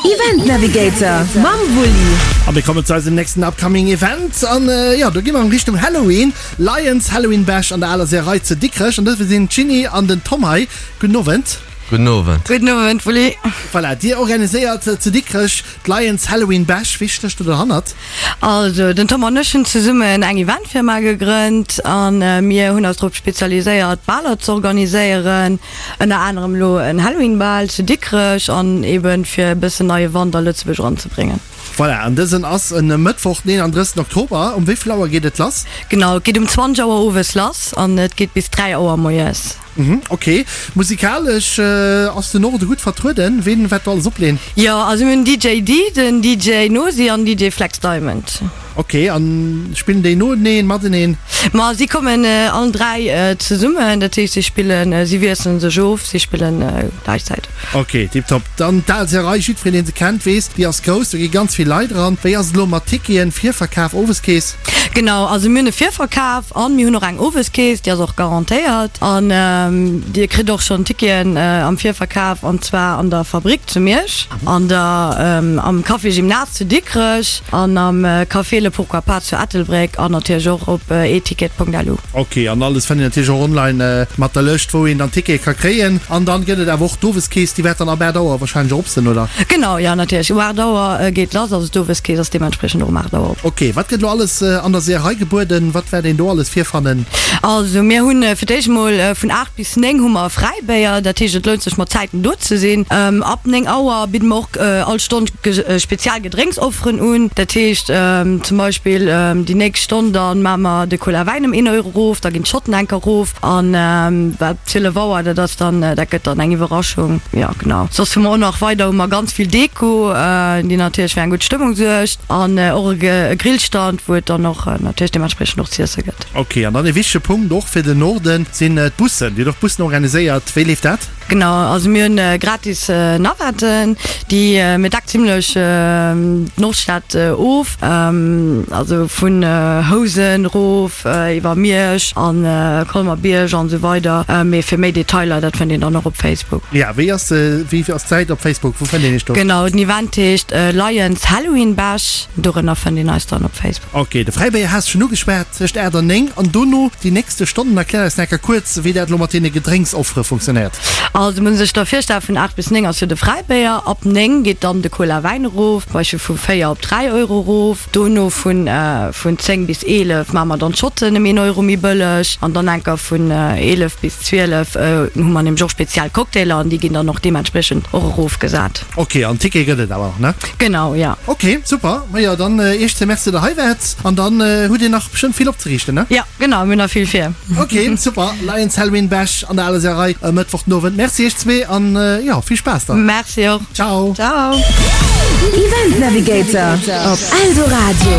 Event Navigator mam Wulli. A mir kommen zu eisem nächsten upcoming Event an jo, do gi mer an Richtung Halloween. Lions Halloween Bash an der aler Seeërei zu Dikrech an dofir sinn d'Jeanny an den Tom hei. Gudden Owend. Gudden Owend. Gudden Owend Wulli. Voilà, dir organiséiert zu Dikrech d'Lions Halloween Bash. Wee stécht do derhannert? Also den Tom an ech hunn zesummen eng Eventfirma gegrënnt an mir hunn eis drop spezialiséiert Baler ze organiséieren. Ënner anerem elo en Halloween Bal zu Dikrech an eben fir e bëssen neie Wand a Lëtzebuerg eranzebréngen. Voilà, an dësen ass en Mëttwoch den 31 Oktober. Um wéi vill Auer geet et lass? Genau, et geet um 20 Auer owes lass an et geet bis 3 Auer moies. Mhm, ok. Musikalesch ass den Norde gutt vertrueden. Ween wäert do alles opleen? Jo, also mir hunn DJ Dee, den DJ Nosi an DJ Flex Diamond. Ok, an spillen déi noeneen, mateneen? Ma si kommen allen 3 zesummen, dat heescht si spillen, si wiesselen sech of, si spillen gläichzäiteg. Ok, tiptop. Dann d'al Serei, jiddwereen deen se kennt weess, déi ass grouss, do gi ganz vill Leit eran. Wéi ass et elo mat Ticketen, Virverkaf, Oweskeess? Genau, also mir hunn e Virverkaf an mir hunn och eng Oweskeess, déi ass och garantéiert. An dir kritt och schonn Ticketen am Virverkaf an zwar an der Fabrik zu Miersch, an der am Café Gymnase zu Dikrech. An am Café Le Pourquoi Pas zu Ettelbréck an natierlech och op eticket.lu. Ok, an alles fënnt een natierlech och online mat der Lëscht wou een dann Tickete ka kréien. An dann gëtt et awer och d'Oweskeess, déi wäert dann ab 8 Auer wahrscheinlech och op sinn, oder? Genau, jo natierlech, um 8 Auer geet lass, also d'Oweskeess ass deementspriechend och um 8 Auer op. Ok, wat gëtt elo alles an der Seeërei gebueden? Wat wäert een do alles virfannen? Also mir hunn fir d'éischt mol vun 8 bis 9 hu mer Fräibéier, dat heescht et lount sech mat Zäiten do ze sinn. Ab 9 Auer bidde mer och all Stonn spezial Gedrénksofferen un, dat heescht zum Beispill déi nächst Stonn da maache mer de Cola Wäin ëm een Euro erof, da ginn d'Schotten enk erof an ab 12 Auer, dat ass dann, dat gëtt dann eng Iwwerraschung. Jo genau. Soss hu mer och nach weider hu mer ganz vill Deko, déi natierlech fir eng gutt Stëmmung suergt an och e Grillstand, wou et dann och natierlech deementspriechend och z'iesse gëtt. Ok, an dann e wichtege Punkt och fir den Norden sinn d'Bussen. Dir hutt och Bussen organiséiert. Wéi leeft dat? Genau, also mir hunn gratis Navetten, déi mir deckt zimlech d'Nordstad of, also vun Housen erof iwwer Miersch an Colmer-Bierg an esou weider. Mee fir méi Detailer, dat fënnt een dann och op Facebook. Ja, wéi ass wéi ass d'Säit op Facebook? Wou fënnt een iech do? Genau, den Event heescht Lions Halloween Bash, dorënner fënnt een eis dann op Facebook. Ok, de Fräibéier has schonn ugeschwat, tëscht 8 an 9 an dono déi nächste Stonnen. Erklär eis nach eng Kéier kuerz, wéi dat elo mat deene Gedrénksoffere funktionéiert. Also muss een sech da virstellen, vun 8 bis 9 ass jo de Fräibéier, ab 9 geet dann de Cola Wäin erof, zum Beispill vu 4 op 3 Euro erof. Dono vun vun 10 bis 11 maache mer dann d'Schotten ëm een Euro méi bëlleg an dann enker vun 11 bis 12 hu mer nämlech och speziell Cocktailer an déi ginn dann och deementspriechend och erofgesat. Ok, an Ticket gëtt et awer nach, ne? Genau, jo. Ok, super. Majo, dann Iech ze Merci, der hei waart. An dann hutt Dir nach bestëmmt vill opzeriichten, ne? Jo, genau, mir hunn nach vill vir. Ok, super. Lions Halloween Bash an der Aler Seeërei e Mëttwoch den Owend. Merci Iech zwee an jo, vill Spaass dann. Merci och. Ciao. Ciao. Event Navigator op Eldoradio.